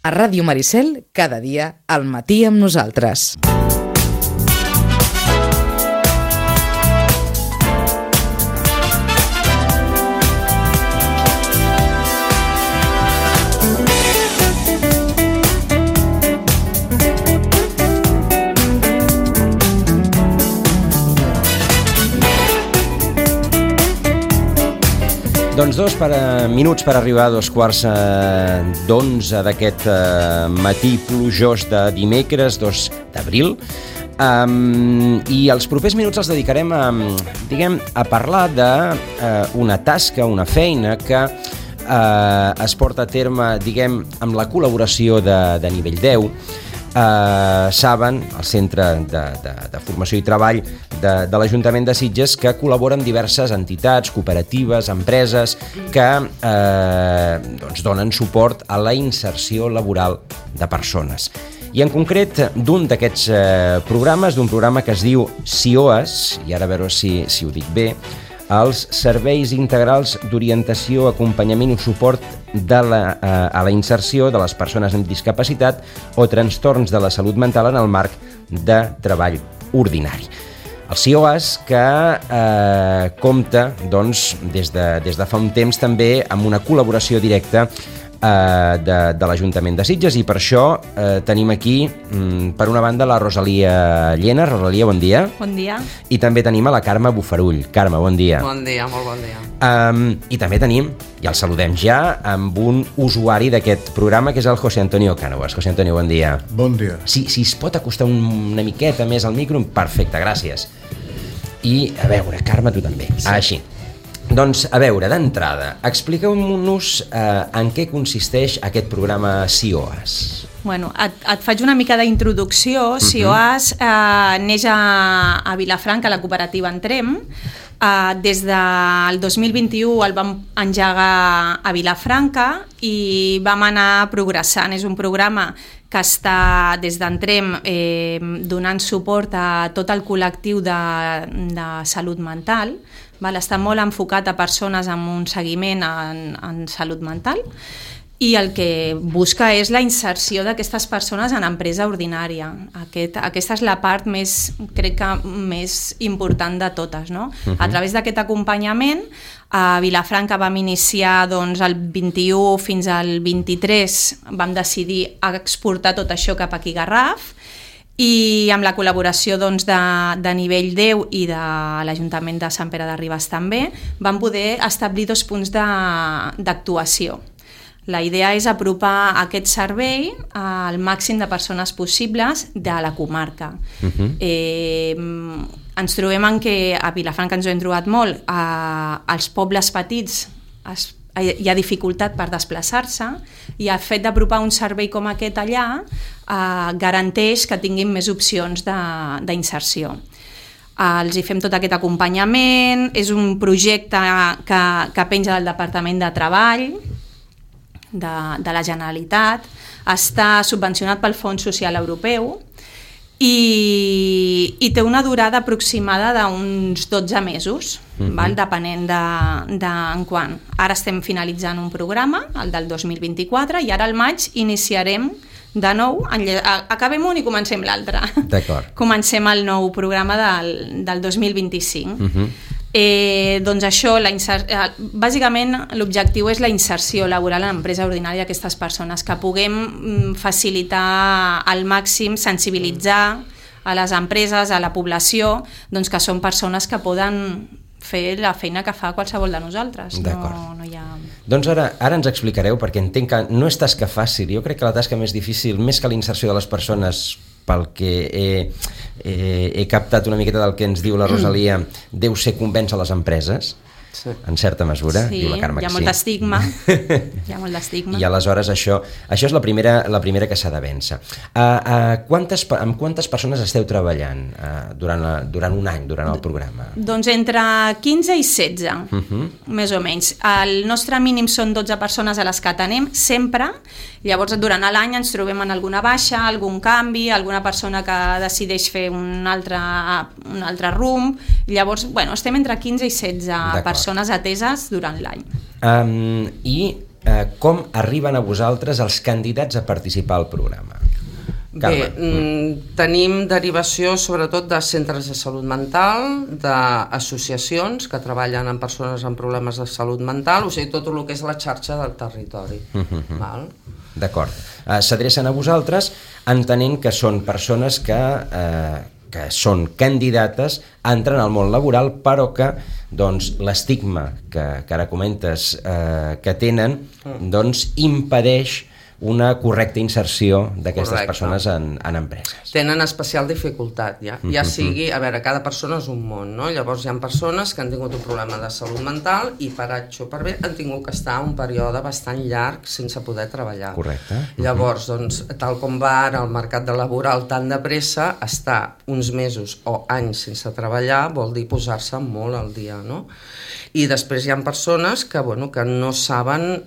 A Ràdio Maricel, cada dia, al matí amb nosaltres. Doncs minuts per arribar a 2:15 d'aquest matí plujós de dimecres 2 d'abril. I els propers minuts els dedicarem a parlar d'una tasca, una feina que es porta a terme, amb la col·laboració de nivell 10. Saben, el Centre de Formació i Treball de l'Ajuntament de Sitges, que col·labora amb diverses entitats, cooperatives, empreses que donen suport a la inserció laboral de persones. I en concret d'un d'aquests programes, d'un programa que es diu SIOAS, i ara a veure si ho dic bé, els Serveis Integrals d'Orientació, Acompanyament i Suport a la inserció de les persones amb discapacitat o trastorns de la salut mental en el marc de treball ordinari. El SIOAS que compta des de fa un temps també amb una col·laboració directa de l'Ajuntament de Sitges, i per això tenim aquí, per una banda, la Rosalia Llena. Rosalia, bon dia. Bon dia. I també tenim a la Carme Bufarull. Carme, bon dia. Bon dia, molt bon dia. I també tenim, ja el saludem ja, amb un usuari d'aquest programa, que és el José Antonio Cánovas. José Antonio, bon dia. Bon dia. Si es pot acostar una miqueta més al micro, perfecte, gràcies. I, a veure, Carme, tu també. Sí. Així. Doncs, a veure, d'entrada, expliqueu-nos en què consisteix aquest programa SIOAS. Bueno, et faig una mica d'introducció. SIOAS neix a Vilafranca, a la cooperativa Entrem. Des del 2021 el vam engegar a Vilafranca i vam anar progressant. És un programa que està des d'Entrem donant suport a tot el col·lectiu de salut mental. Està molt enfocat a persones amb un seguiment en salut mental, i el que busca és la inserció d'aquestes persones en empresa ordinària. Aquesta és la part crec que més important de totes, no? A través d'aquest acompanyament, a Vilafranca vam iniciar el 21 fins al 23, vam decidir exportar tot això cap aquí a Garraf, i amb la col·laboració de nivell 10 i de l'Ajuntament de Sant Pere de Ribes també, vam poder establir 2 punts d'actuació. La idea és apropar aquest servei al màxim de persones possibles de la comarca. Ens trobem en què a Vilafranca ens ho hem trobat molt, als pobles petits hi ha dificultat per desplaçar-se, i el fet d'apropar un servei com aquest allà garanteix que tinguin més opcions d'inserció. Els hi fem tot aquest acompanyament. És un projecte que penja del Departament de Treball de la Generalitat, està subvencionat pel Fons Social Europeu i té una durada aproximada d'uns 12 mesos, depenent d'en quant. Ara estem finalitzant un programa, el del 2024, i ara al maig iniciarem de nou, acabem un i comencem l'altre. D'acord. Comencem el nou programa del 2025. Doncs això, bàsicament l'objectiu és la inserció laboral en empresa ordinària d'aquestes persones, que puguem facilitar al màxim, sensibilitzar a les empreses, a la població, doncs que són persones que poden fer la feina que fa qualsevol de nosaltres. D'acord. No hi ha... Doncs ara ens explicareu, perquè entenc que no és tasca fàcil. Jo crec que la tasca més difícil, més que la inserció de les persones, pel que he captat una miqueta del que ens diu la Rosalia, deu ser convèncer les empreses, en certa mesura. Sí, diu la Carme, hi ha molt d'estigma. Hi ha molt d'estigma. I aleshores això és la primera que s'ha de vèncer. Amb quantes persones esteu treballant durant un any, durant el programa? Doncs entre 15 i 16, més o menys. El nostre mínim són 12 persones a les que atenem sempre. Llavors, durant l'any ens trobem en alguna baixa, algun canvi, alguna persona que decideix fer un altre rumb. Llavors, estem entre 15 i 16 persones ateses durant l'any. I com arriben a vosaltres els candidats a participar al programa? Bé, tenim derivació sobretot de centres de salut mental, d'associacions que treballen amb persones amb problemes de salut mental, o sigui, tot el que és la xarxa del territori. Val? D'acord. S'adrecen a vosaltres entenent que són persones que són candidates a entrar en el món laboral, però que doncs, l'estigma que ara comentes que tenen doncs, impedeix una correcta inserció d'aquestes persones en empreses. Tenen especial dificultat, ja sigui, a veure, cada persona és un món, no? Llavors hi ha persones que han tingut un problema de salut mental i per H o per B han tingut que estar un període bastant llarg sense poder treballar. Correcte. Llavors, doncs, tal com va ara el mercat laboral tan de pressa, estar uns mesos o anys sense treballar vol dir posar-se molt al dia, no? I després hi ha persones que, bueno, que no saben...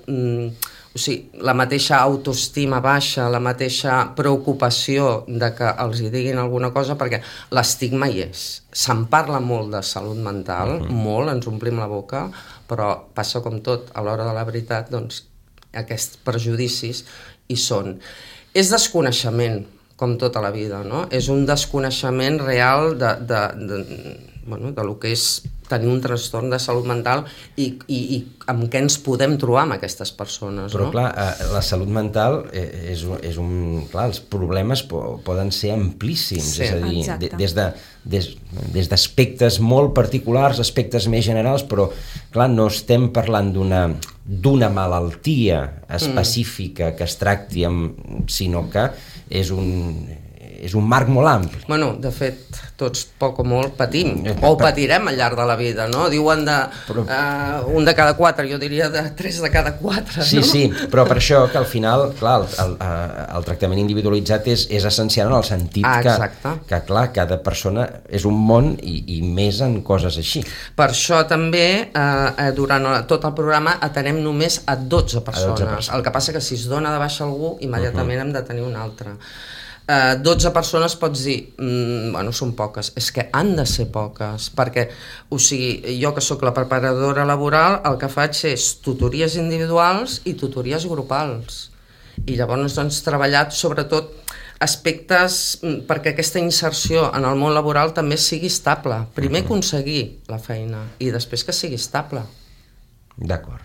O sigui, la mateixa autoestima baixa, la mateixa preocupació de que els hi diguin alguna cosa, perquè l'estigma hi és. Se'n parla molt de salut mental, molt, ens omplim la boca, però passa com tot, a l'hora de la veritat, doncs, aquests prejudicis hi són. És desconeixement, com tota la vida, no? És un desconeixement real de lo que és tenir un trastorn de salut mental i amb què ens podem trobar amb aquestes persones. Però no? clar, la salut mental és un... Clar, els problemes poden ser amplíssims, sí, és a dir, des d'aspectes molt particulars, aspectes més generals, però clar, no estem parlant d'una malaltia específica que es tracti, sinó que és un marc molt ampli. Bueno, de fet, tots poc o molt patim, o patirem al llarg de la vida, no? Diuen un de cada 4, jo diria de 3 de cada 4, sí, no? Sí, però per això que al final, clar, el tractament individualitzat és essencial en el sentit que, clar, cada persona és un món i més en coses així. Per això també, durant tot el programa, atenem només a 12 persones. El que passa que si es dona de baixa algú, immediatament hem de tenir un altre. 12 persones pots dir, bueno, són poques, és que han de ser poques, perquè, o sigui, jo que sóc la preparadora laboral, el que faig és tutories individuals i tutories grupals, i llavors doncs treballat sobretot aspectes perquè aquesta inserció en el món laboral també sigui estable, primer aconseguir la feina i després que sigui estable. D'acord.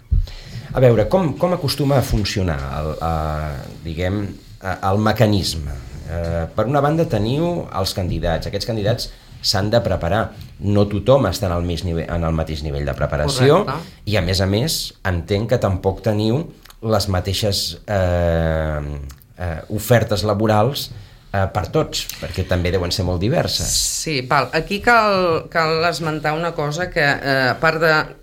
A veure, com acostuma a funcionar el mecanisme? Per una banda teniu els candidats, aquests candidats s'han de preparar, no tothom està en el mateix nivell de preparació. Correcte. I a més entenc que tampoc teniu les mateixes ofertes laborals per tots, perquè també deuen ser molt diverses. Sí, aquí cal esmentar una cosa que a part de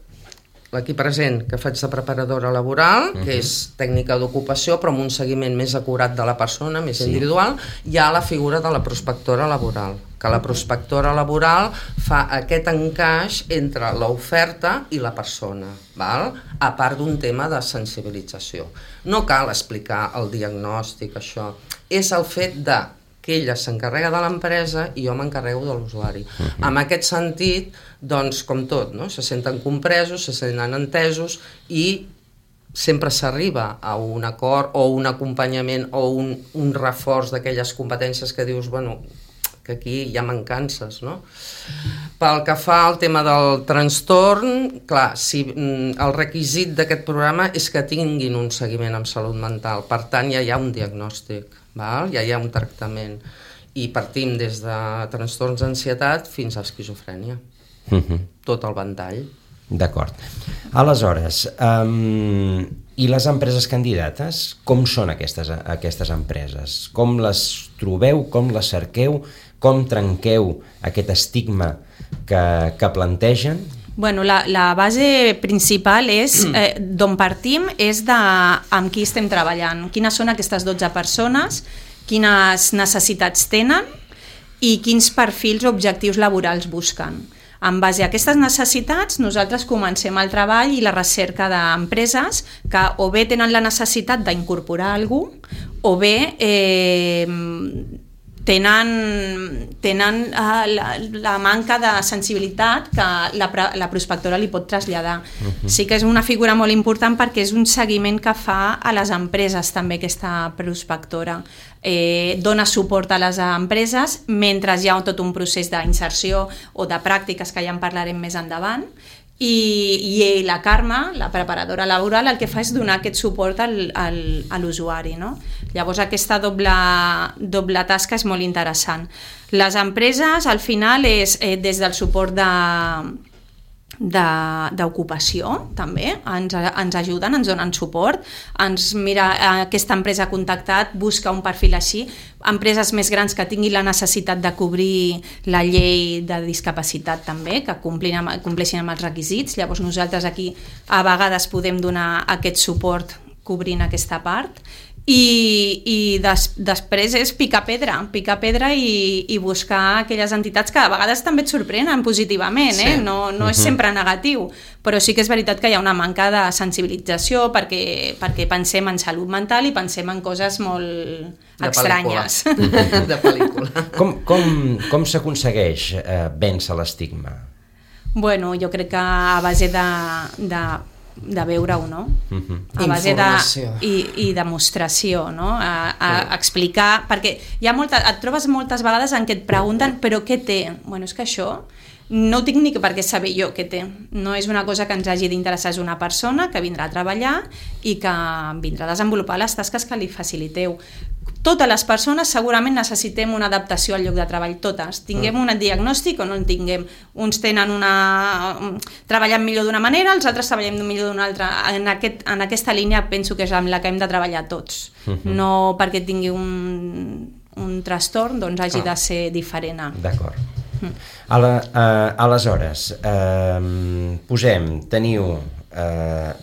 l'equip present que faig de preparadora laboral, que és tècnica d'ocupació, però amb un seguiment més acurat de la persona, més individual, hi ha la figura de la prospectora laboral, que la prospectora laboral fa aquest encaix entre l'oferta i la persona, val? A part d'un tema de sensibilització. No cal explicar el diagnòstic, això. És el fet que ella s'encarrega de l'empresa i jo m'encarrego de l'usuari. En aquest sentit, doncs, com tot, no? Se senten compresos, se senten entesos i sempre s'arriba a un acord o un acompanyament o un reforç d'aquelles competències que dius, bueno, que aquí hi ha mancances, no? Pel que fa al tema del trastorn, clar, el requisit d'aquest programa és que tinguin un seguiment amb salut mental, per tant ja hi ha un diagnòstic, val? Ja hi ha un tractament, i partim des de trastorns d'ansietat fins a esquizofrènia, tot el ventall. D'acord. Aleshores, i les empreses candidates, com són aquestes empreses? Com les trobeu, com les cerqueu, com trenqueu aquest estigma que plantegen? Bueno, la base principal és, d'on partim, és amb qui estem treballant. Quines són aquestes 12 persones, quines necessitats tenen i quins perfils o objectius laborals busquen. En base a aquestes necessitats, nosaltres comencem el treball i la recerca d'empreses que o bé tenen la necessitat d'incorporar algú o bé tenen la manca de sensibilitat que la prospectora li pot traslladar. Sí que és una figura molt important perquè és un seguiment que fa a les empreses també aquesta prospectora. Dona suport a les empreses mentre hi ha tot un procés d'inserció o de pràctiques que ja en parlarem més endavant. I la Carme, la preparadora laboral, el que fa és donar aquest suport a l'usuari, no? Llavors aquesta doble tasca és molt interessant. Les empreses al final és des del suport d'ocupació també, ens ajuden, ens donen suport, aquesta empresa ha contactat, busca un perfil així, empreses més grans que tinguin la necessitat de cobrir la llei de discapacitat també, que compleixin amb els requisits. Llavors nosaltres aquí a vegades podem donar aquest suport cobrint aquesta part. I després és picar pedra i buscar aquelles entitats que a vegades també et sorprenen positivament, no és sempre negatiu, però sí que és veritat que hi ha una manca de sensibilització perquè pensem en salut mental i pensem en coses molt estranyes. De pel·lícula. Com s'aconsegueix vèncer l'estigma? Bueno, jo crec que a base de veure-ho, no? A base i demostració, no? A explicar, perquè et trobes moltes vegades en què et pregunten però què té? Bueno, és que això no ho tinc ni per què saber jo què té. No és una cosa que ens hagi d'interessar, és una persona que vindrà a treballar i que vindrà a desenvolupar les tasques que li faciliteu. Totes les persones segurament necessitem una adaptació al lloc de treball, totes. Tinguem un diagnòstic o no en tinguem. Uns treballen millor d'una manera, els altres treballem millor d'una altra. En aquesta línia penso que és amb la que hem de treballar tots. No perquè tingui un trastorn doncs hagi de ser diferent. D'acord. Aleshores, teniu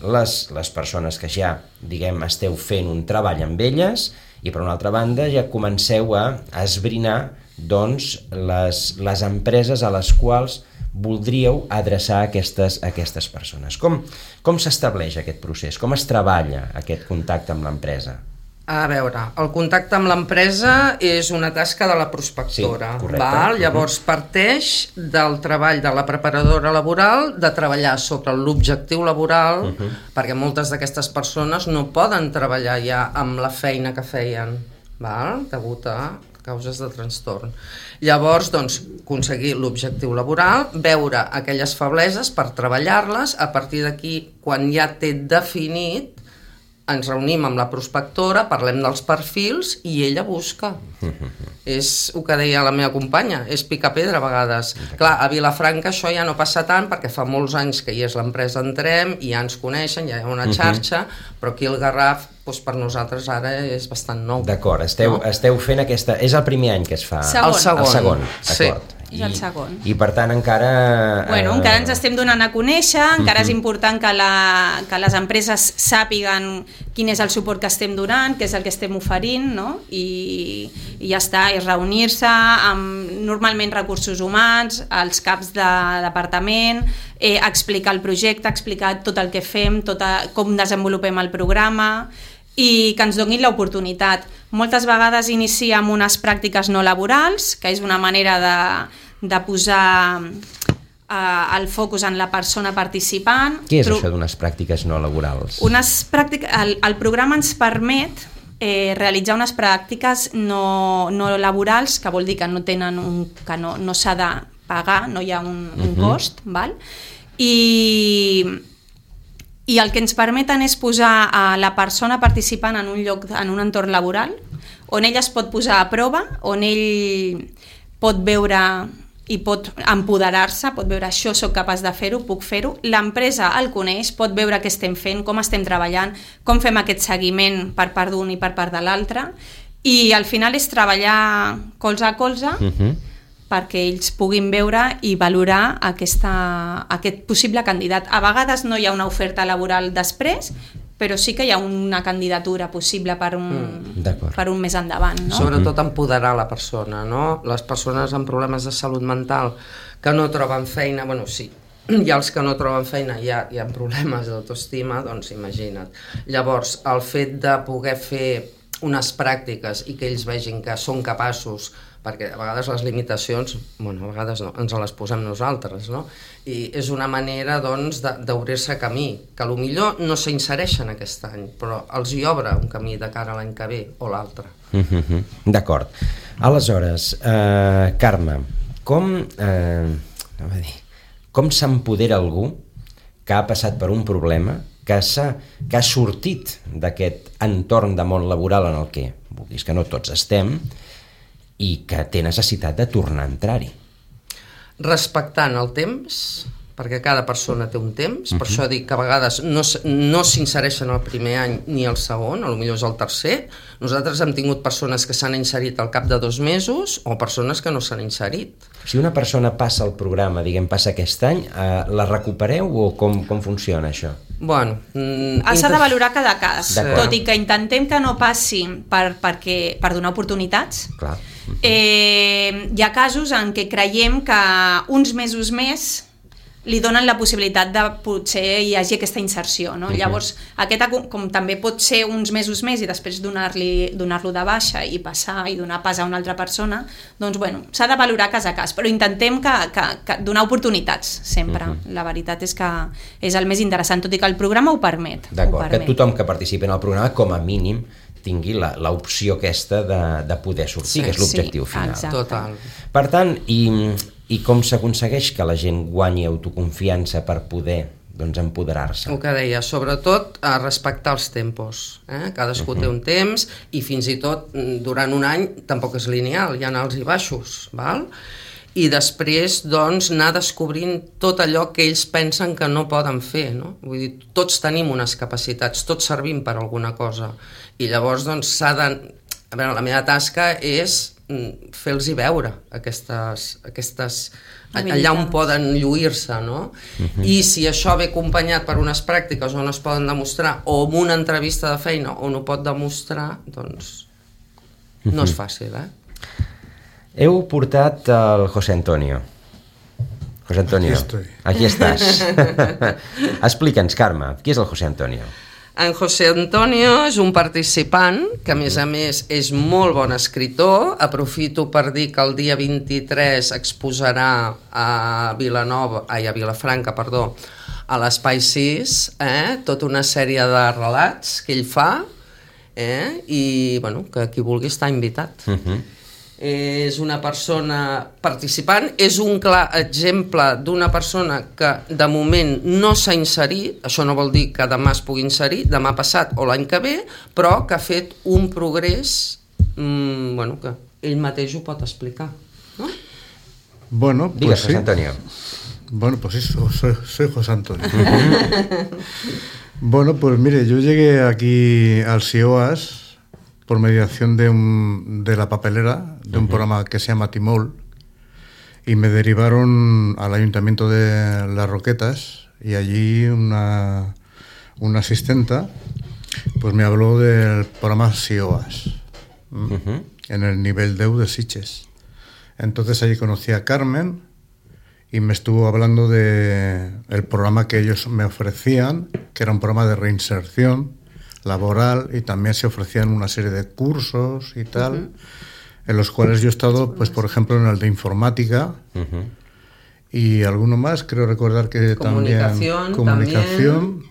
les persones que ja, diguem, esteu fent un treball amb elles i per una altra banda ja comenceu a esbrinar doncs, les empreses a les quals voldríeu adreçar aquestes persones. Com s'estableix aquest procés? Com es treballa aquest contacte amb l'empresa? A veure, el contacte amb l'empresa és una tasca de la prospectora. Sí, correcte. Llavors parteix del treball de la preparadora laboral de treballar sobre l'objectiu laboral, perquè moltes d'aquestes persones no poden treballar ja amb la feina que feien, degut a causes de trastorn. Llavors, doncs, aconseguir l'objectiu laboral, veure aquelles febleses per treballar-les, a partir d'aquí, quan ja té definit, ens reunim amb la prospectora, parlem dels perfils i ella busca. És el que deia la meva companya, és picar pedra a vegades. Clar, a Vilafranca això ja no passa tant perquè fa molts anys que hi és l'empresa Entrem i ja ens coneixen, ja hi ha una xarxa, però aquí el Garraf per nosaltres ara és bastant nou. D'acord, esteu fent aquesta... És el primer any que es fa? El segon. D'acord. És el segon. I per tant encara... Encara ens estem donant a conèixer, encara és important que les empreses sàpiguen quin és el suport que estem donant, què és el que estem oferint, no? I ja està, és reunir-se amb normalment recursos humans, els caps de departament, explicar el projecte, explicar tot el que fem, com desenvolupem el programa i que ens donin l'oportunitat. Moltes vegades inicia amb unes pràctiques no laborals, que és una manera de posar el focus en la persona participant. Què és això d'unes pràctiques no laborals? El programa ens permet realitzar unes pràctiques no laborals, que vol dir que no s'ha de pagar, no hi ha un cost, val? I el que ens permeten és posar a la persona participant en un lloc, en un entorn laboral, on ell es pot posar a prova, on ell pot veure i pot empoderar-se, pot veure això soc capaç de fer-ho, puc fer-ho. L'empresa el coneix, pot veure què estem fent, com estem treballant, com fem aquest seguiment per part d'un i per part de l'altre, i al final és treballar colze a colze, perquè ells puguin veure i valorar aquest possible candidat. A vegades no hi ha una oferta laboral després, però sí que hi ha una candidatura possible per un més endavant. No? Sobretot empoderar la persona, no? Les persones amb problemes de salut mental que no troben feina, bueno, sí, hi ha els que no troben feina, hi ha problemes d'autoestima, doncs imagina't. Llavors, el fet de poder fer unes pràctiques i que ells vegin que són capaços, perquè a vegades les limitacions, bueno, a vegades no, ens les posem nosaltres, no? I és una manera, doncs, d'obrir-se camí, que potser no s'insereixen aquest any, però els hi obre un camí de cara a l'any que ve o l'altre. D'acord. Aleshores, Carme, com s'empodera algú que ha passat per un problema, que ha sortit d'aquest entorn de món laboral en el que, vulguis que no tots estem, i que té necessitat de tornar a entrar-hi? Respectant el temps, perquè cada persona té un temps, per això dic que a vegades no s'insereixen el primer any ni el segon, potser és el tercer. Nosaltres hem tingut persones que s'han inserit al cap de 2 mesos o persones que no s'han inserit. Si una persona passa el programa, passa aquest any, la recupereu o com funciona això? Bueno, s'ha de valorar cada cas, tot i que intentem que no passi per donar oportunitats. Clar. Hi ha casos en què creiem que uns mesos més li donen la possibilitat de potser hi hagi aquesta inserció, no? Llavors, com també pot ser uns mesos més i després donar-lo de baixa i passar i donar pas a una altra persona, doncs bueno, s'ha de valorar cas a cas, però intentem que donar oportunitats sempre. La veritat és que és el més interessant, tot i que el programa ho permet. D'acord, que tothom que participi en el programa com a mínim tingui l'opció aquesta de poder sortir, que és l'objectiu final. Total. Per tant, i com s'aconsegueix que la gent guanyi autoconfiança per poder empoderar-se? El que deia, sobretot a respectar els tempos. Cadascú té un temps i fins i tot durant un any tampoc és lineal, hi ha alts i baixos, val? I després anar descobrint tot allò que ells pensen que no poden fer, no? Vull dir, tots tenim unes capacitats, tots servim per alguna cosa, i llavors s'ha de... A veure, la meva tasca és fer-los veure aquestes allà on poden lluir-se, no? I si això ve acompanyat per unes pràctiques on es poden demostrar, o en una entrevista de feina on ho pot demostrar, doncs no és fàcil, Heu portat el José Antonio. José Antonio, aquí estàs. Explica'ns, Carme, qui és el José Antonio? En José Antonio és un participant que, a més, és molt bon escriptor. Aprofito per dir que el dia 23 exposarà a Vilafranca, a l'Espai 6, tota una sèrie de relats que ell fa, i que qui vulgui està invitat. És una persona participant, és un clar exemple d'una persona que de moment no s'ha inserit, això no vol dir que demà es pugui inserir, demà passat o l'any que ve, però que ha fet un progrés que ell mateix ho pot explicar, ¿no? Bueno, pues Digues, sí. José Antonio. Bueno, pues eso, soy José Antonio. Bueno, pues mire, yo llegué aquí al CIOAS por mediación de la papelera, de un programa que se llama Timol, y me derivaron al Ayuntamiento de Las Roquetas, y allí una asistenta pues me habló del programa CIOAS, en el nivel DEU de Sitges. Entonces allí conocí a Carmen y me estuvo hablando del programa que ellos me ofrecían, que era un programa de reinserción laboral, y también se ofrecían una serie de cursos y tal, en los cuales yo he estado, pues por ejemplo, en el de informática, y alguno más, creo recordar que comunicación, también.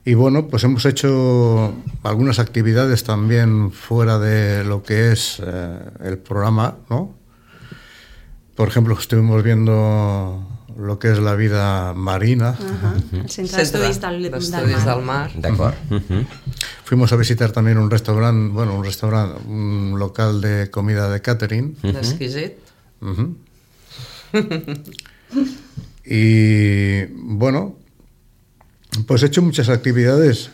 Y bueno, pues hemos hecho algunas actividades también fuera de lo que es el programa, ¿no? Por ejemplo, estuvimos viendo lo que es la vida marina. El Centre d'Estudis del Mar. D'acord. Fuimos a visitar también un local de comida de catering. Exquisit. Y bueno, pues he hecho muchas actividades.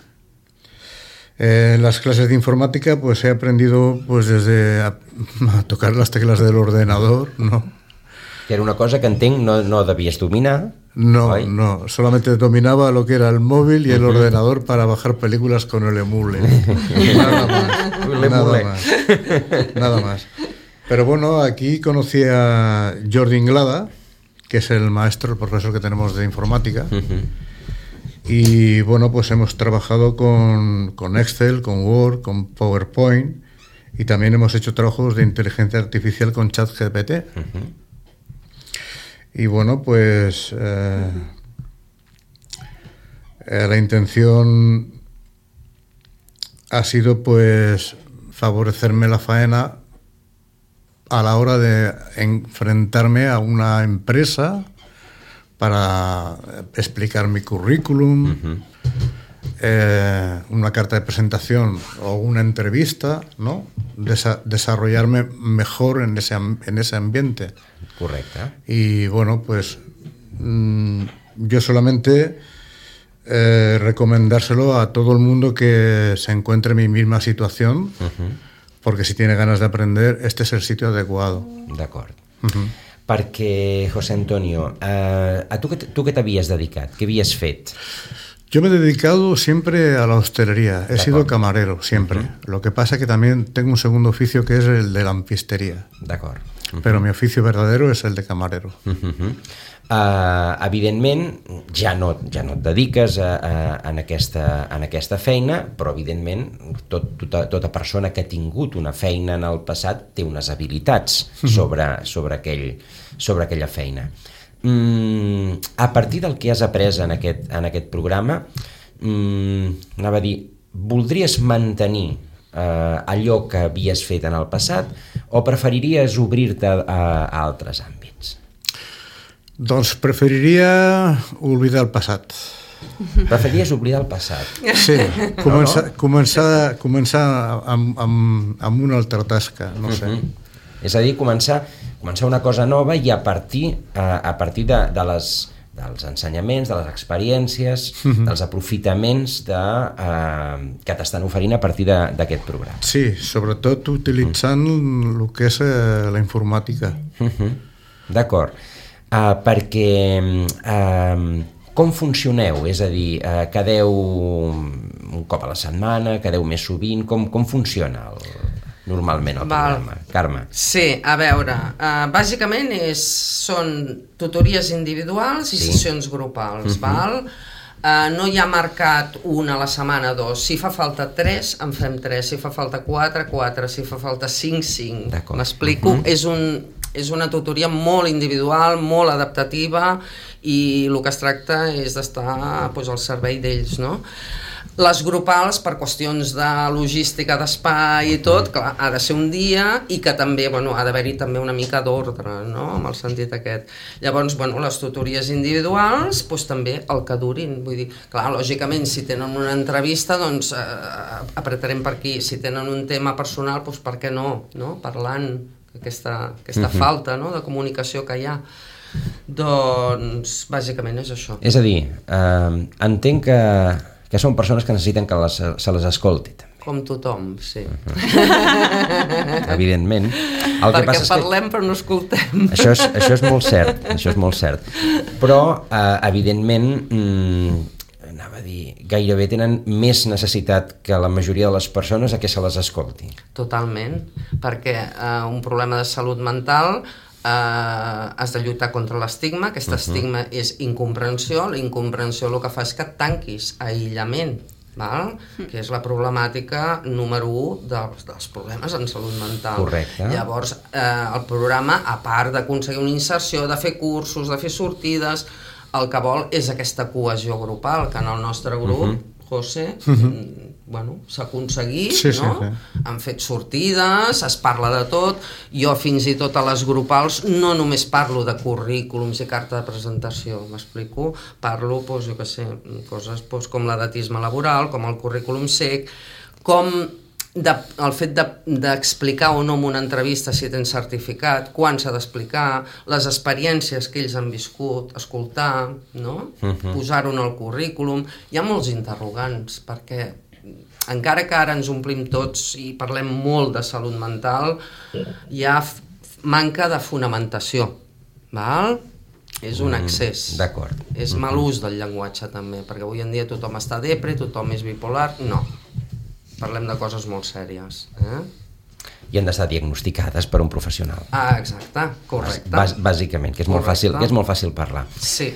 En las clases de informática pues he aprendido pues desde a tocar las teclas del ordenador, ¿no? Que era una cosa que entenc no devies dominar. No, solamente dominaba lo que era el móvil y el ordenador para bajar películas con el emule. Nada más. Pero bueno, aquí conocí a Jordi Inglada, que es el maestro, el profesor que tenemos de informática, Y bueno, pues hemos trabajado con Excel, con Word, con PowerPoint, y también hemos hecho trabajos de inteligencia artificial con ChatGPT. Y bueno, pues la intención ha sido pues favorecerme la faena a la hora de enfrentarme a una empresa para explicar mi currículum, una carta de presentación o una entrevista, ¿no? Desarrollarme mejor en ese ambiente. Correcte. Y bueno, pues yo solamente recomendárselo a todo el mundo que se encuentre en mi misma situación, porque si tiene ganas de aprender, este es el sitio adecuado. D'acord. Perquè, José Antonio, a tu què t'havies dedicat? Què havies fet? Yo me he dedicado siempre a la hostelería. He sido camarero, siempre. Lo que pasa es que también tengo un segundo oficio que es el de lampistería. D'acord. Pero mi oficio verdadero es el de camarero. Evidentment, ja no et dediques en aquesta feina, però evidentment tota persona que ha tingut una feina en el passat té unes habilitats sobre aquella feina. A partir del que has après en aquest programa, anava a dir, voldries mantenir allò que havies fet en el passat o preferiries obrir-te a altres àmbits? Doncs preferiria oblidar el passat. Preferiries oblidar el passat? Sí, començar amb una altra tasca, no sé. És a dir, començar una cosa nova i a partir dels ensenyaments, de les experiències, dels aprofitaments que t'estan oferint a partir d'aquest programa. Sí, sobretot utilitzant el que és la informàtica. D'acord. Perquè com funcioneu? És a dir, quedeu un cop a la setmana, quedeu més sovint? Com funciona normalment el programa? Carme. Sí, a veure, bàsicament són tutories individuals i sessions grupals, val? No hi ha marcat una a la setmana, 2. Si fa falta 3, en fem 3. Si fa falta 4, 4. Si fa falta 5, 5. M'explico? És una tutoria molt individual, molt adaptativa, i el que es tracta és d'estar al servei d'ells, no? Les grupals, per qüestions de logística, d'espai i tot, clar, ha de ser un dia i que també, ha d'haver-hi també una mica d'ordre, no?, amb el sentit aquest. Llavors, les tutories individuals, també el que durin. Vull dir, clar, lògicament, si tenen una entrevista, doncs apretarem per aquí. Si tenen un tema personal, doncs per què no? Parlant aquesta falta de comunicació que hi ha. Doncs, bàsicament és això. És a dir, entenc que són persones que necessiten que se les escolti. Com tothom, sí. Evidentment. Perquè parlem però no escoltem. Això és molt cert. Però, evidentment, anava a dir, gairebé tenen més necessitat que la majoria de les persones a que se les escolti. Totalment, perquè un problema de salut mental has de lluitar contra l'estigma. Aquest estigma és incomprensió. La incomprensió el que fa és que et tanquis, aïllament, que és la problemàtica número 1 dels problemes en salut mental. Correcte. Llavors, el programa, a part d'aconseguir una inserció, de fer cursos, de fer sortides, el que vol és aquesta cohesió grupal, que en el nostre grup, José, s'ha aconseguit, no? Han fet sortides, es parla de tot. Jo fins i tot a les grupals no només parlo de currículums i carta de presentació, m'explico? Parlo, jo què sé, coses com l'edatisme laboral, com el currículum sec, com el fet d'explicar o no en una entrevista si tens certificat, quan s'ha d'explicar, les experiències que ells han viscut, escoltar, no? Posar-ho en el currículum. Hi ha molts interrogants, perquè encara que ara ens omplim tots i parlem molt de salut mental, hi ha manca de fonamentació, val? És un excés. D'acord. És mal ús del llenguatge també, perquè avui en dia tothom està depre, tothom és bipolar, no. Parlem de coses molt sèries. i han d'estar diagnosticades per un professional. Ah, exacte, correcte. Bàsicament, que és molt fàcil parlar. Sí.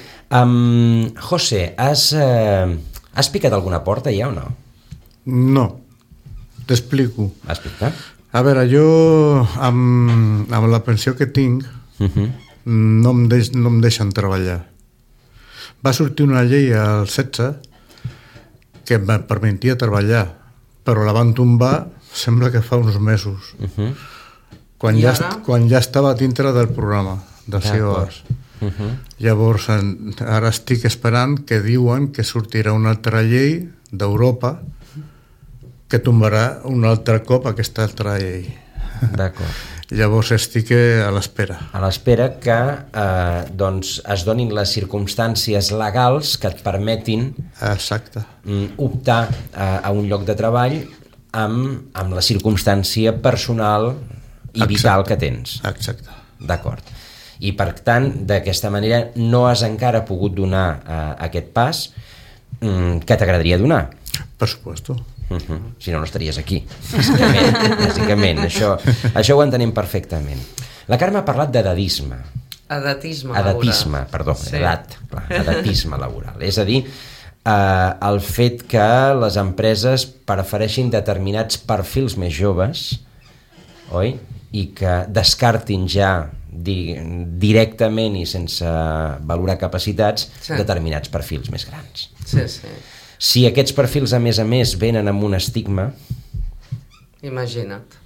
José, has picat alguna porta ja o no? No, t'explico. Explica. A veure, jo amb la pensió que tinc no em deixen treballar. Va sortir una llei al 16 que em permetia treballar, però la van tombar sembla que fa uns mesos, quan ja estava dintre del programa de COAS. Llavors ara estic esperant que diuen que sortirà una altra llei d'Europa que tombarà un altre cop aquesta altra llei. D'acord. Llavors estic a l'espera. A l'espera que es donin les circumstàncies legals que et permetin optar a un lloc de treball amb la circumstància personal i vital que tens. Exacte. D'acord. I per tant, d'aquesta manera no has encara pogut donar aquest pas que t'agradaria donar. Per supuesto. Si no, no estaries aquí. Bàsicament. Això ho entenem perfectament. La Carme ha parlat d'edadisme. Edatisme laboral. És a dir, el fet que les empreses prefereixin determinats perfils més joves, oi? I que descartin ja directament i sense valorar capacitats determinats perfils més grans. Sí. Si aquests perfils, a més, venen amb un estigma... Imagina't.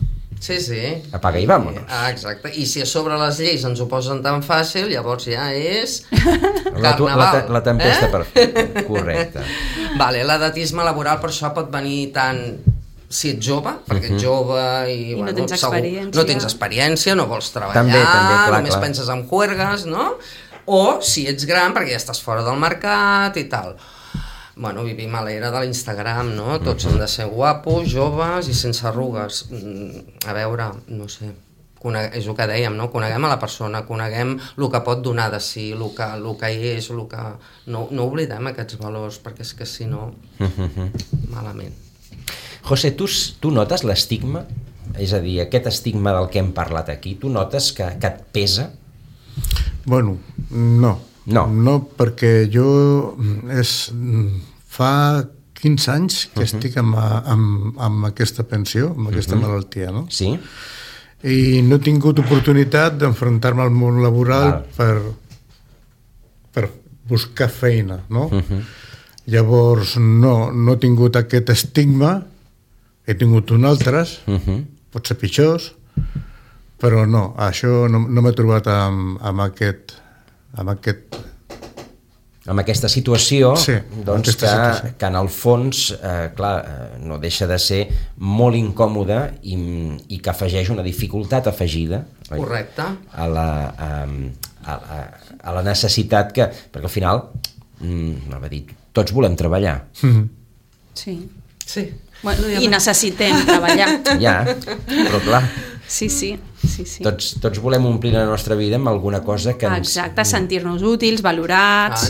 Sí. Apaga i vámonos. Exacte. I si a sobre les lleis ens ho posen tan fàcil, llavors ja és carnaval. La tempesta perfecta. Correcte. Vale, l'edatisme laboral per això pot venir tant si ets jove, perquè ets jove i no tens experiència. No tens experiència, no vols treballar, també, clar, només penses en juergues, no? O si ets gran perquè ja estàs fora del mercat i tal. Bueno, vivim a l'era de l'Instagram, no? Tots han de ser guapos, joves i sense arrugues. A veure, no sé, és el que dèiem, no? Coneguem a la persona, coneguem el que pot donar de si, el que és, el que... No oblidem aquests valors, perquè és que si no, malament. José, tu notes l'estigma? És a dir, aquest estigma del que hem parlat aquí, tu notes que et pesa? Bueno, no. No, perquè jo fa 15 anys que estic amb aquesta pensió, amb aquesta malaltia, no? Sí. I no he tingut oportunitat d'enfrontar-me al món laboral per buscar feina, no? Llavors no he tingut aquest estigma, he tingut un altres, potser pitjors, però no, això no m'he trobat amb aquesta situació, sí, doncs que en el fons no deixa de ser molt incòmode i que afegeix una dificultat afegida, correcte, a la necessitat que, perquè al final tots volem treballar. Sí. Bueno, i necessitem treballar. Ja, però clar. Sí. Tots volem omplir la nostra vida amb alguna cosa que ens... Exacte, sentir-nos útils, valorats,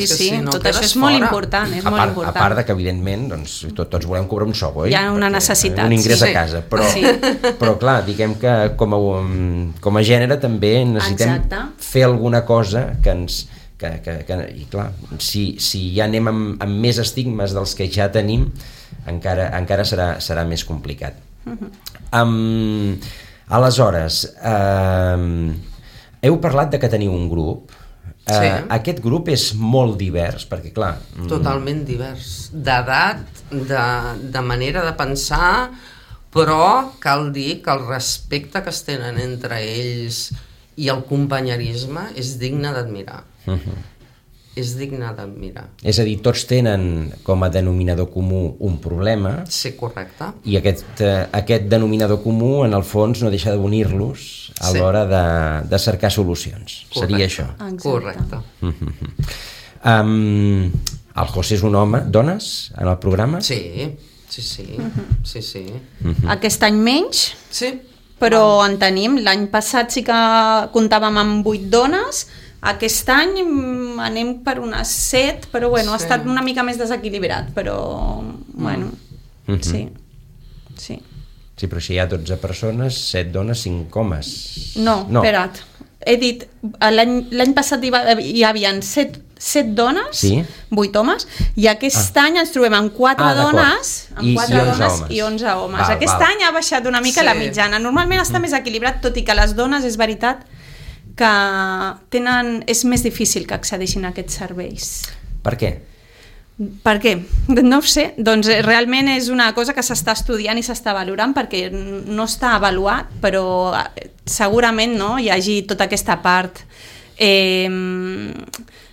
tot això és molt important, A part de que, evidentment, tots volem cobrar un sou, oi? Hi ha una necessitat. Un ingrés a casa, però clar, diguem que com a gènere també necessitem fer alguna cosa que ens... I clar, si ja anem amb més estigmes dels que ja tenim, encara serà més complicat. Aleshores, heu parlat de que teniu un grup. Aquest grup és molt divers, perquè clar... Totalment divers, d'edat, de manera de pensar, però cal dir que el respecte que es tenen entre ells i el companyerisme és digne d'admirar. És digne d'admirar. És a dir, tots tenen com a denominador comú un problema. Sí, correcte. I aquest denominador comú, en el fons, no deixa d'unir-los a l'hora de cercar solucions. Correcte. Seria això. Correcte. El José és un home. Dones en el programa? Sí. Aquest any menys, sí, però en tenim. L'any passat sí que comptàvem amb 8 dones. Aquest any anem per unes 7, però bueno, ha estat una mica més desequilibrat, però bueno, sí. Sí, però si hi ha 12 persones, 7 dones, 5 homes. No, espera't. He dit, l'any passat hi havia 7 dones, 8 homes, i aquest any ens trobem amb 4 dones, i 11 homes. Aquest any ha baixat una mica la mitjana. Normalment està més equilibrat, tot i que les dones és veritat que és més difícil que accedeixin a aquests serveis. Per què? Per què? No ho sé. Doncs realment és una cosa que s'està estudiant i s'està valorant perquè no està avaluat, però segurament hi hagi tota aquesta part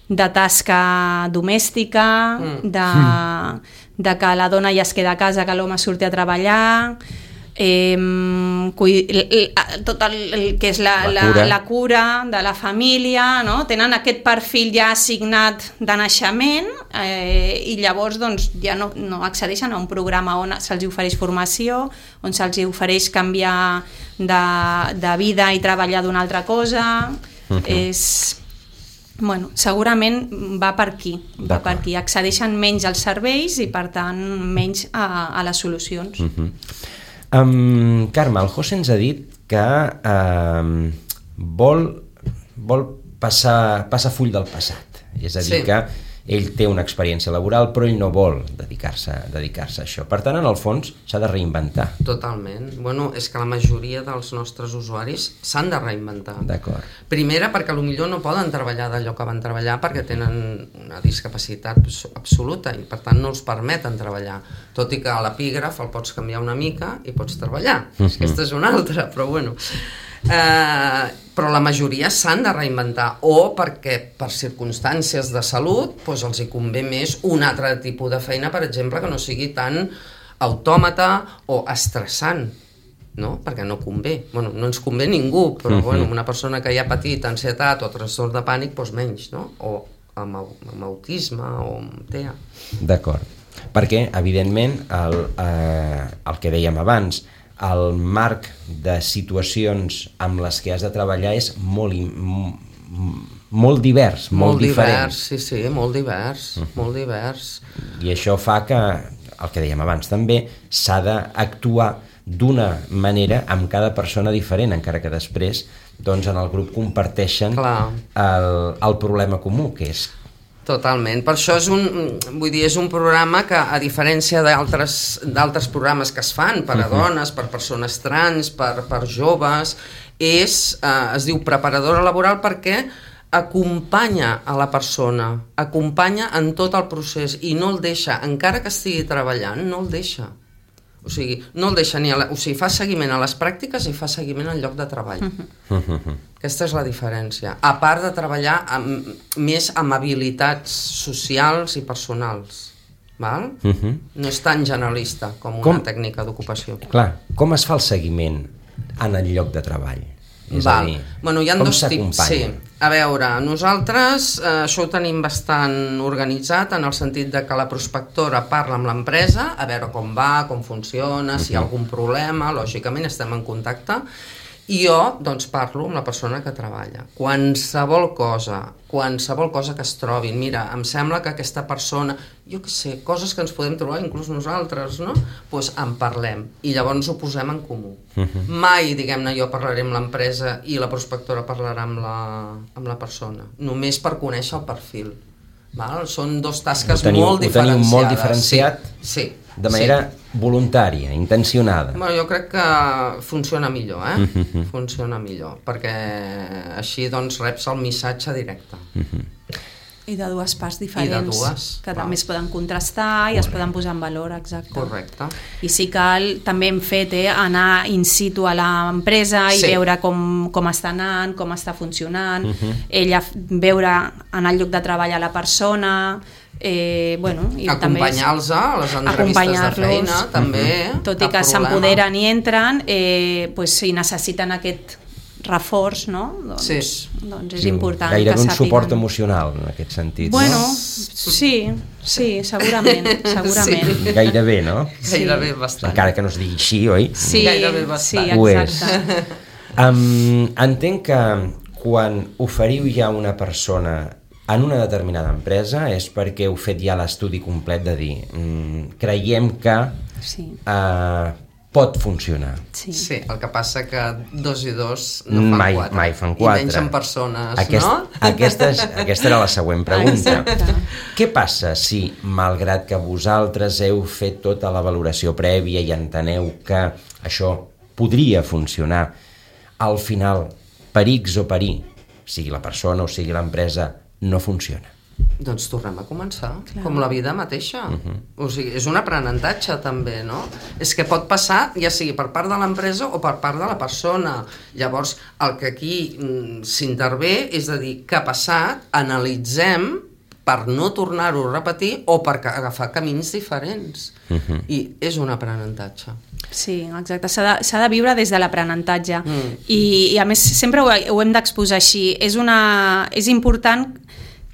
de tasca domèstica, de que la dona ja es queda a casa, que l'home surti a treballar, tot el que és la cura de la família, no? Tenen aquest perfil ja assignat de naixement i llavors ja no accedeixen a un programa on se'ls ofereix formació, on se'ls ofereix canviar de vida i treballar d'una altra cosa. Segurament va per aquí, accedeixen menys als serveis i per tant menys a les solucions. Carme, el José ens ha dit que vol passar full del passat, és a dir, que ell té una experiència laboral però ell no vol dedicar-se a això, per tant en el fons s'ha de reinventar. Totalment, és que la majoria dels nostres usuaris s'han de reinventar. D'acord. Primera perquè potser no poden treballar d'allò que van treballar perquè tenen una discapacitat absoluta i per tant no els permeten treballar, tot i que a l'epígraf el pots canviar una mica i pots treballar. Aquesta és una altra, però però la majoria s'han de reinventar o perquè per circumstàncies de salut els hi convé més un altre tipus de feina, per exemple, que no sigui tan autòmata o estressant, perquè no convé, no ens convé ningú, però una persona que ja ha patit ansietat o trastorn de pànic menys, o amb autisme o amb TEA. D'acord, perquè evidentment el que dèiem abans, el marc de situacions amb les que has de treballar és molt divers, molt diferent. Sí, molt divers. I això fa que, el que dèiem abans també, s'ha d'actuar d'una manera amb cada persona diferent, encara que després en el grup comparteixen el problema comú, que és... Totalment, per això és un programa que, a diferència d'altres programes que es fan per a dones, per persones trans, per joves, es diu preparadora laboral perquè acompanya a la persona, acompanya en tot el procés i no el deixa, encara que estigui treballant, no el deixa. O sigui, no el deixa fa seguiment a les pràctiques i fa seguiment al lloc de treball. Aquesta és la diferència. A part de treballar més amb habilitats socials i personals. No és tan generalista com una tècnica d'ocupació. Clar, com es fa el seguiment en el lloc de treball? És a dir, hi ha dos tips. Sí. A veure, nosaltres això ho tenim bastant organitzat en el sentit de que la prospectora parla amb l'empresa a veure com va, com funciona, si hi ha algun problema, lògicament estem en contacte, i jo parlo amb la persona que treballa. Qualsevol cosa que es trobin, mira, em sembla que aquesta persona, jo què sé, coses que ens podem trobar inclús nosaltres, no? Doncs en parlem i llavors ho posem en comú. Mai, diguem-ne, jo parlaré amb l'empresa i la prospectora parlarà amb la persona, només per conèixer el perfil. Són dos tasques molt diferenciades. Ho teniu molt diferenciat? Sí. De manera voluntària, intencionada. Jo crec que funciona millor, funciona millor, perquè així reps el missatge directe. I de dues parts diferents, que també es poden contrastar i es poden posar en valor, exacte. Correcte. I sí que també hem fet anar in situ a l'empresa i veure com està anant, com està funcionant, ella veure en el lloc de treball a la persona, acompanyar-los a les entrevistes de feina també, tot i que s'empoderen i entren, si necessiten aquest reforç, doncs és important. Gairebé un suport emocional en aquest sentit. Sí, segurament. Gairebé, no? Gairebé bastant. Encara que no es digui així, oi? Sí, gairebé bastant. Ho és. Entenc que quan oferiu ja una persona en una determinada empresa és perquè heu fet ja l'estudi complet de dir creiem que pot funcionar. Sí. Sí, el que passa que 2 i 2 no fan 4. Mai fan 4. I menys en persones, no? Aquesta era la següent pregunta. Exacte. Què passa si, malgrat que vosaltres heu fet tota la valoració prèvia i enteneu que això podria funcionar, al final, per X o per Y, sigui la persona o sigui l'empresa, no funciona? Doncs tornem a començar, com la vida mateixa. O sigui, és un aprenentatge també, no? És que pot passar, ja sigui per part de l'empresa o per part de la persona. Llavors, el que aquí s'intervé és a dir, què ha passat, analitzem per no tornar-ho a repetir o per agafar camins diferents. I és un aprenentatge. Sí, exacte. S'ha de viure des de l'aprenentatge. I a més, sempre ho hem d'exposar així. És important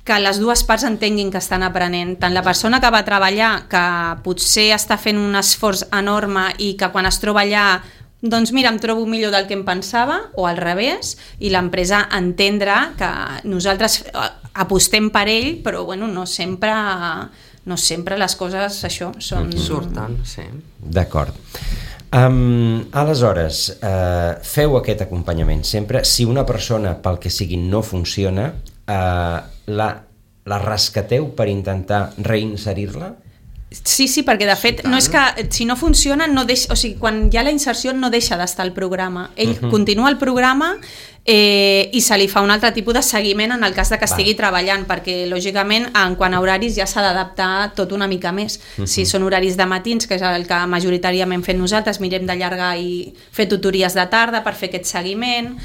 que les dues parts entenguin que estan aprenent. Tant la persona que va a treballar, que potser està fent un esforç enorme i que quan es troba allà, doncs mira, em trobo millor del que em pensava, o al revés, i l'empresa entendre que nosaltres apostem per ell, però bueno, no sempre les coses això surten, sí. D'acord. Aleshores, feu aquest acompanyament sempre. Si una persona, pel que sigui, no funciona, la rescateu per intentar reinserir-la? Sí, perquè de fet no és que si no funciona, o sigui, quan hi ha la inserció no deixa d'estar al programa. Ell continua el programa i se li fa un altre tipus de seguiment en el cas de que estigui treballant, perquè lògicament en quant a horaris ja s'ha d'adaptar tot una mica més. Si són horaris de matins, que és el que majoritàriament fem nosaltres, mirem d'allargar i fer tutories de tarda per fer aquest seguiment.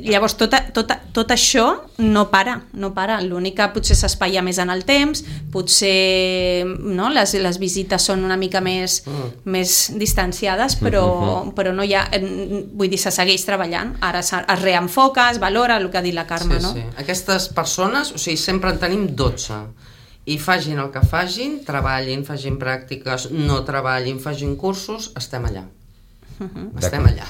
Llavors tot això no para. L'únic que potser s'espaia més en el temps, potser les visites són una mica més distanciades, però no hi ha, vull dir, se segueix treballant. Ara es reenfoca, es valora, el que ha dit la Carme, no? Sí. Aquestes persones, o sigui, sempre en tenim 12 i facin el que facin, treballin, facin pràctiques, no treballin, facin cursos, estem allà. Estem allà.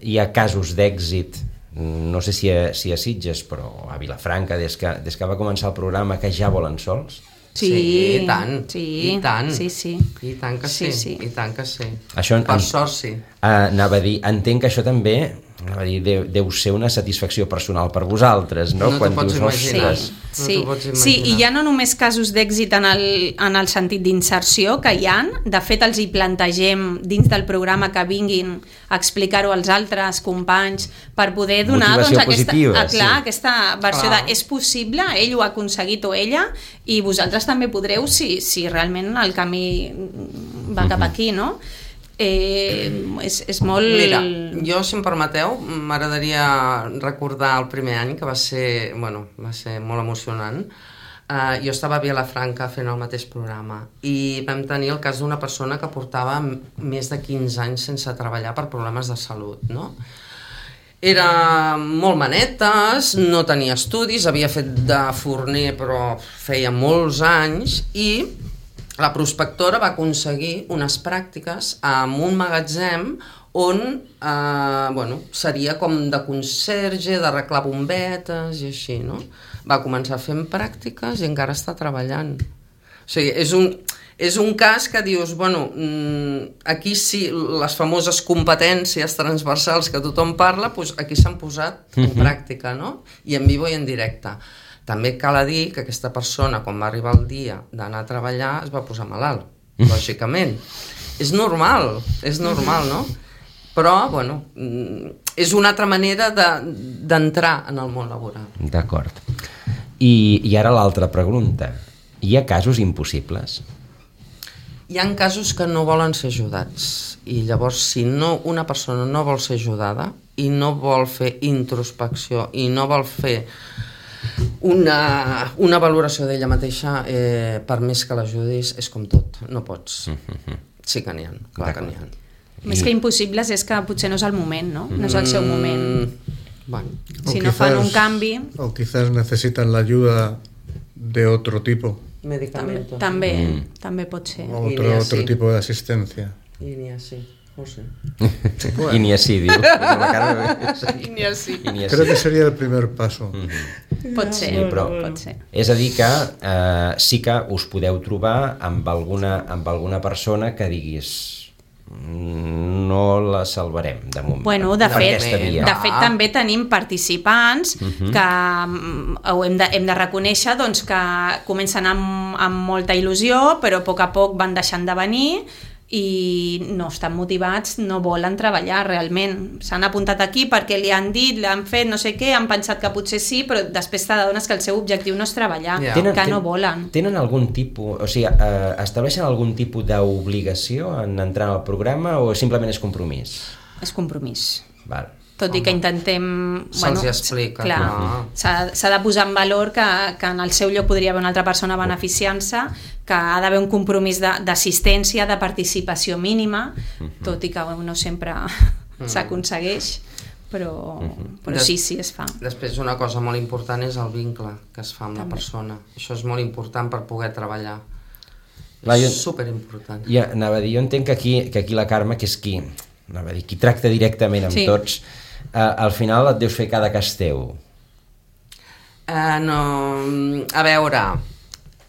Hi ha casos d'èxit, no sé si a Sitges, però a Vilafranca, des que va començar el programa, que ja volen sols? Sí, i tant. Sí. I tant. Sí. I tant que sí. I tant que sí. Això, per sort, sí. Anava a dir, entenc que això també deu ser una satisfacció personal per vosaltres, no? No t'ho pots imaginar. Sí, i hi ha no només casos d'èxit en el sentit d'inserció, que hi ha, de fet els hi plantegem dins del programa que vinguin a explicar-ho als altres companys per poder donar aquesta versió de és possible, ell ho ha aconseguit o ella, i vosaltres també podreu si realment el camí va cap aquí, no? És molt... Mira, jo, si em permeteu, m'agradaria recordar el primer any, que va ser molt emocionant. Jo estava a Vilafranca fent el mateix programa i vam tenir el cas d'una persona que portava més de 15 anys sense treballar per problemes de salut, no? Era molt manetes, no tenia estudis, havia fet de forner però feia molts anys, i la prospectora va aconseguir unes pràctiques en un magatzem on seria com de conserge, d'arreglar bombetes i així, no? Va començar fent pràctiques i encara està treballant. O sigui, és un cas que dius, aquí sí, les famoses competències transversals que tothom parla, doncs aquí s'han posat en pràctica, no? I en vivo i en directe. També cal dir que aquesta persona, quan va arribar el dia d'anar a treballar, es va posar malalt, lògicament. És normal, no? Però, és una altra manera d'entrar en el món laboral. D'acord. I ara l'altra pregunta. Hi ha casos impossibles? Hi ha casos que no volen ser ajudats. I llavors, si una persona no vol ser ajudada i no vol fer introspecció i no vol fer una valoració d'ella mateixa, per més que l'ajudis, és com tot, no pots. Sí que n'hi ha, clar que n'hi ha. Més que impossibles és que potser no és el moment, no? No és el seu moment. Si no fan un canvi... O quizás necesitan la ayuda de otro tipo. Medicamentos. També pot ser. Otro tipo de asistencia. I n'hi ha, sí. No sé. I ni així, diu. I ni així. Creo que sería el primer paso. Pot ser, Sí, però pot ser. és a dir que sí que us podeu trobar amb alguna persona que diguis no la salvarem de moment. Bueno, de per fet, aquesta via. de fet també tenim participants que ho hem de reconèixer, doncs, que comencen amb molta il·lusió, però a poc van deixant de venir i no estan motivats, no volen treballar realment. S'han apuntat aquí perquè li han dit, l'han fet, no sé què, han pensat que potser sí, però després t'adones que el seu objectiu no és treballar, que no volen. Tenen algun tipus, o sigui, estableixen algun tipus d'obligació en entrar al programa o simplement és compromís? És compromís. Val. Tot i que intentem... Se'ls explica. Clar, s'ha de posar en valor que en el seu lloc podria haver una altra persona beneficiant-se, que ha d'haver un compromís d'assistència, de participació mínima, tot i que no sempre s'aconsegueix, però sí, es fa. Després una cosa molt important és el vincle que es fa amb la persona. Això és molt important per poder treballar. És superimportant. Ja, anava a dir, jo entenc que aquí la Carme, que és qui tracta directament amb tots, al final et deus fer cada cas teu. No, a veure,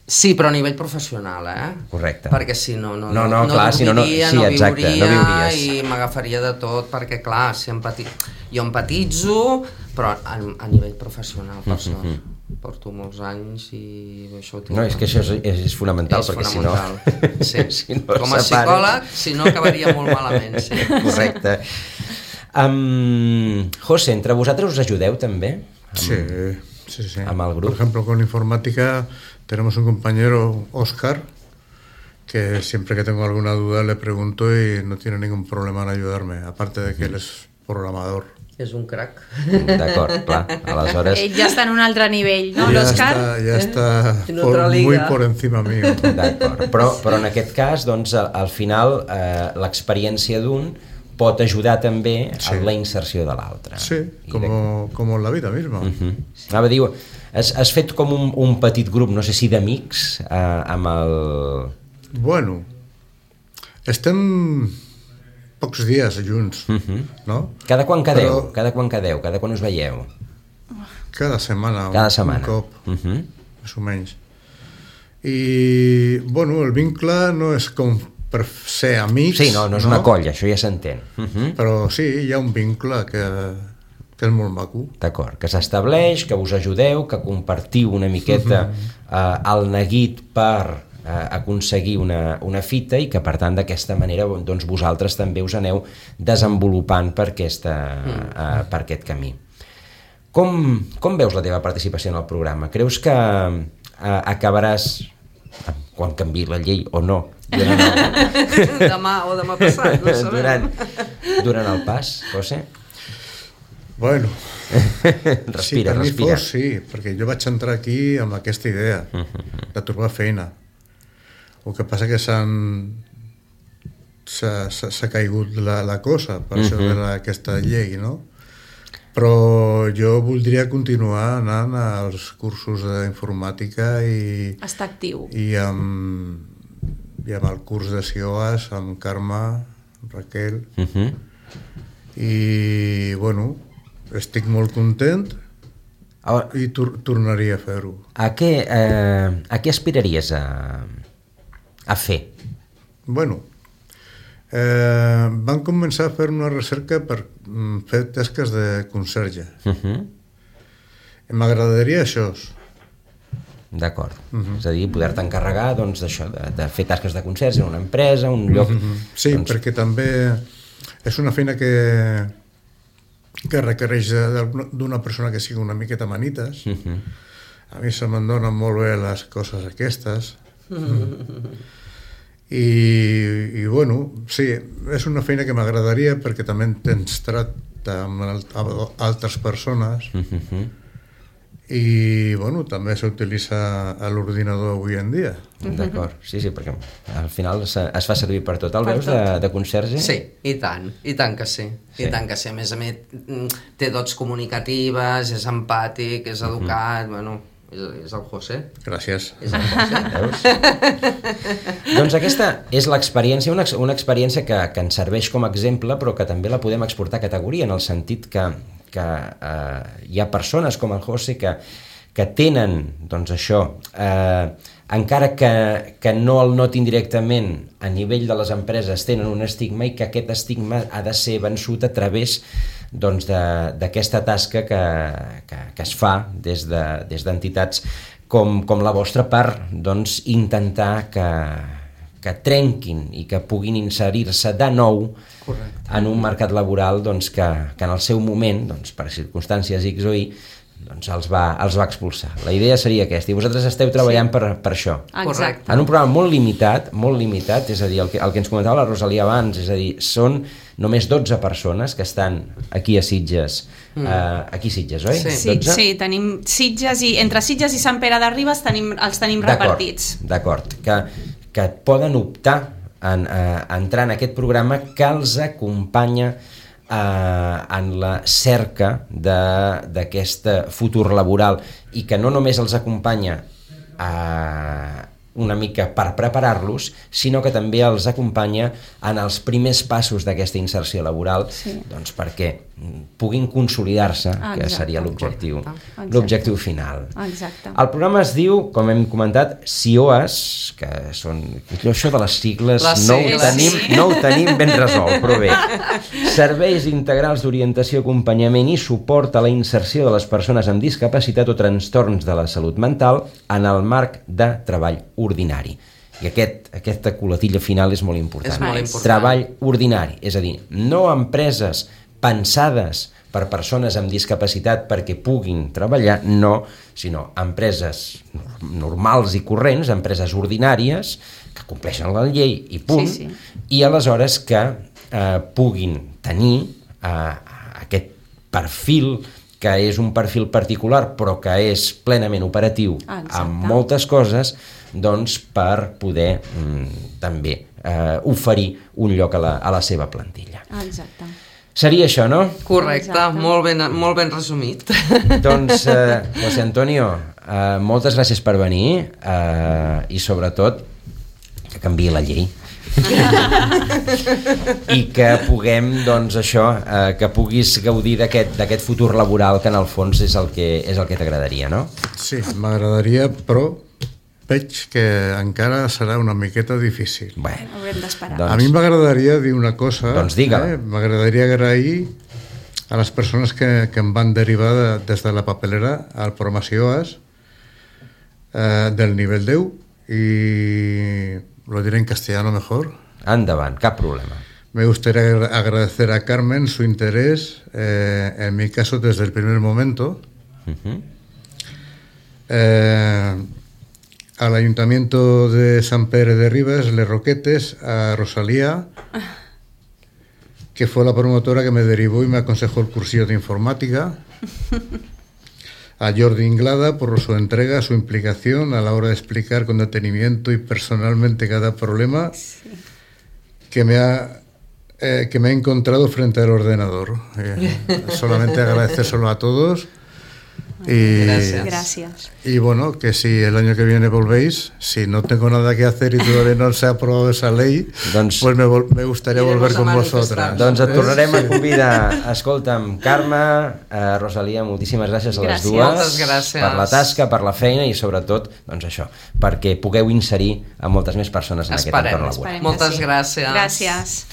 sí, però a nivell professional, Correcte. Perquè si no clar, dormiria, no viuries. I m'agafaria de tot, perquè clar, jo empatitzo, però a nivell professional, per sort. Porto molts anys i això ho tinc. No, és que això és fonamental, perquè fonamental. si no... Sí. Com a psicòleg, si no acabaria molt malament. Sí. Correcte. José, entre vosaltres us ajudeu també? Sí. Amb el grup? Por ejemplo, con informática tenemos un compañero, Óscar, que siempre que tengo alguna duda le pregunto y no tiene ningún problema en ayudarme, aparte de que él es programador. És un crac. D'acord, clar. Aleshores... Ell ja està en un altre nivell, no, l'Òscar? Ja està muy por encima mío. D'acord, però en aquest cas, doncs, al final, l'experiència d'un pot ajudar també a la inserció de l'altre. Sí, com en la vida misma. Anava a dir, has fet com un petit grup, no sé si d'amics, amb el... Bueno, estem pocs dies junts, no? Cada quan quedeu? Cada quan us veieu? Cada setmana. Un cop, més o menys. I, bueno, el vincle no és com per ser amics. Sí, no és una colla, això ja s'entén. Però sí, hi ha un vincle que és molt maco. D'acord, que s'estableix, que us ajudeu, que compartiu una miqueta el neguit per aconseguir una fita i que per tant d'aquesta manera doncs, vosaltres també us aneu desenvolupant per aquest camí. Com veus la teva participació en el programa? Creus que acabaràs, quan canviï la llei o no, demà o demà passat, no sabem. Durant el pas, José? Bueno, respira. Si per mi fos, sí, perquè jo vaig entrar aquí amb aquesta idea de trobar feina. El que passa que s'ha caigut la cosa per això d'aquesta llei, no? Però jo voldria continuar anant als cursos d'informàtica i... Està actiu. I amb el curs de CIOAS, amb Carme, amb Raquel. I, bueno, estic molt content i tornaria a fer-ho. A què aspiraries a fer? Bueno, van començar a fer una recerca per fer tasques de conserge. M'agradaria això. D'acord. És a dir, poder-te encarregar doncs, d'això, de fer tasques de conserge en una empresa, un lloc... Sí, perquè també és una feina que requereix d'una persona que sigui una miqueta manites. A mi se me'n donen molt bé les coses aquestes. I bueno, sí, és una feina que m'agradaria perquè també tens tracte amb altres persones i bueno, també s'utilitza a l'ordinador avui en dia. D'acord, sí, perquè al final es fa servir per tot. El veus de conserge? Sí, i tant que sí. I tant que sí. A més, té dots comunicatives, és empàtic, és educat, bueno... És el José. Gràcies. És el José. Veus? Doncs aquesta és l'experiència, una experiència que ens serveix com a exemple, però que també la podem exportar a categoria, en el sentit que hi ha persones com el José que que tenen, doncs això, encara que no el notin directament, a nivell de les empreses tenen un estigma i que aquest estigma ha de ser vençut a través doncs, d'aquesta tasca que es fa des d'entitats com la vostra per doncs, intentar que trenquin i que puguin inserir-se de nou en un mercat laboral doncs, que en el seu moment, doncs, per circumstàncies X o Y, doncs els va expulsar. La idea seria aquesta, i vosaltres esteu treballant per això. Exacte. En un programa molt limitat, és a dir, el que ens comentava la Rosalia abans, és a dir, són només 12 persones que estan aquí a Sitges, aquí a Sitges, oi? Sí, tenim Sitges i entre Sitges i Sant Pere de Ribes els tenim repartits. D'acord, que poden optar a entrar en aquest programa que els acompanya en la cerca d'aquest futur laboral i que no només els acompanya una mica per preparar-los, sinó que també els acompanya en els primers passos d'aquesta inserció laboral, doncs perquè puguin consolidar-se, que seria l'objectiu final. Exacte. El programa es diu, com hem comentat, CIOAS, que són... Això de les sigles no ho tenim ben resolt, però bé. Serveis integrals d'orientació, acompanyament i suport a la inserció de les persones amb discapacitat o trastorns de la salut mental en el marc de treball ordinari. I aquesta coletilla final és molt important. És molt important. Treball ordinari, és a dir, no empreses pensades per persones amb discapacitat perquè puguin treballar, no, sinó empreses normals i corrents, empreses ordinàries que compleixen la llei i punt, i aleshores que puguin tenir aquest perfil que és un perfil particular però que és plenament operatiu amb moltes coses, doncs per poder també oferir un lloc a la seva plantilla. Exacte. Seria això, no? Correcte, molt ben resumit. Doncs, José Antonio, moltes gràcies per venir i sobretot que canviï la llei. I que puguem, doncs això, que puguis gaudir d'aquest futur laboral que en el fons és el que t'agradaria, no? Sí, m'agradaria, però veig que encara serà una miqueta difícil. Bueno, haurem d'esperar. A mi m'agradaria dir una cosa. Doncs digue-la. M'agradaria agrair a les persones que em van derivar des de la papelera al programa CIOAS del nivell 10 y lo diré en castellano mejor. Endavant, cap problema. Me gustaría agradecer a Carmen su interés, en mi caso desde el primer momento. Al Ayuntamiento de Sant Pere de Ribes, Les Roquetes, a Rosalía, que fue la promotora que me derivó y me aconsejó el cursillo de informática, a Jordi Inglada por su entrega, su implicación a la hora de explicar con detenimiento y personalmente cada problema que me ha encontrado frente al ordenador. Solamente agradecérselo a todos. Gracias. Y bueno, que si el año que viene volvéis, si no tengo nada que hacer y todavía no se ha aprobado esa ley, doncs, pues me gustaría volver con vosotras. Doncs et tornarem a convidar. Escolta'm, Carme, Rosalia, moltíssimes gràcies a les dues per la tasca, per la feina i sobretot, doncs això, perquè pugueu inserir a moltes més persones en aquest entorn laboral. Moltes gràcies. Gràcies.